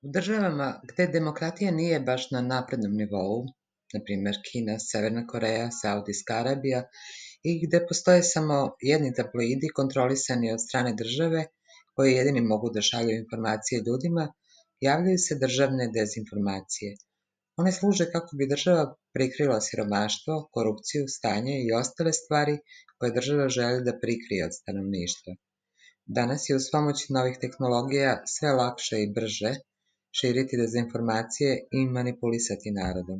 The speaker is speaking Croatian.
U državama gde demokratija nije baš na naprednom nivou, na primjer Kina, Severna Koreja, Saudijska Arabija, i gde postoje samo jedni tabloidi kontrolisani od strane države, koji jedini mogu da šalju informacije ljudima, javljaju se državne dezinformacije. One služe kako bi država prikrila siromaštvo, korupciju, stanje i ostale stvari koje država želi da prikrije od stanovništva. Danas je uz pomoć novih tehnologija sve lakše i brže širiti dezinformacije i manipulisati narodom.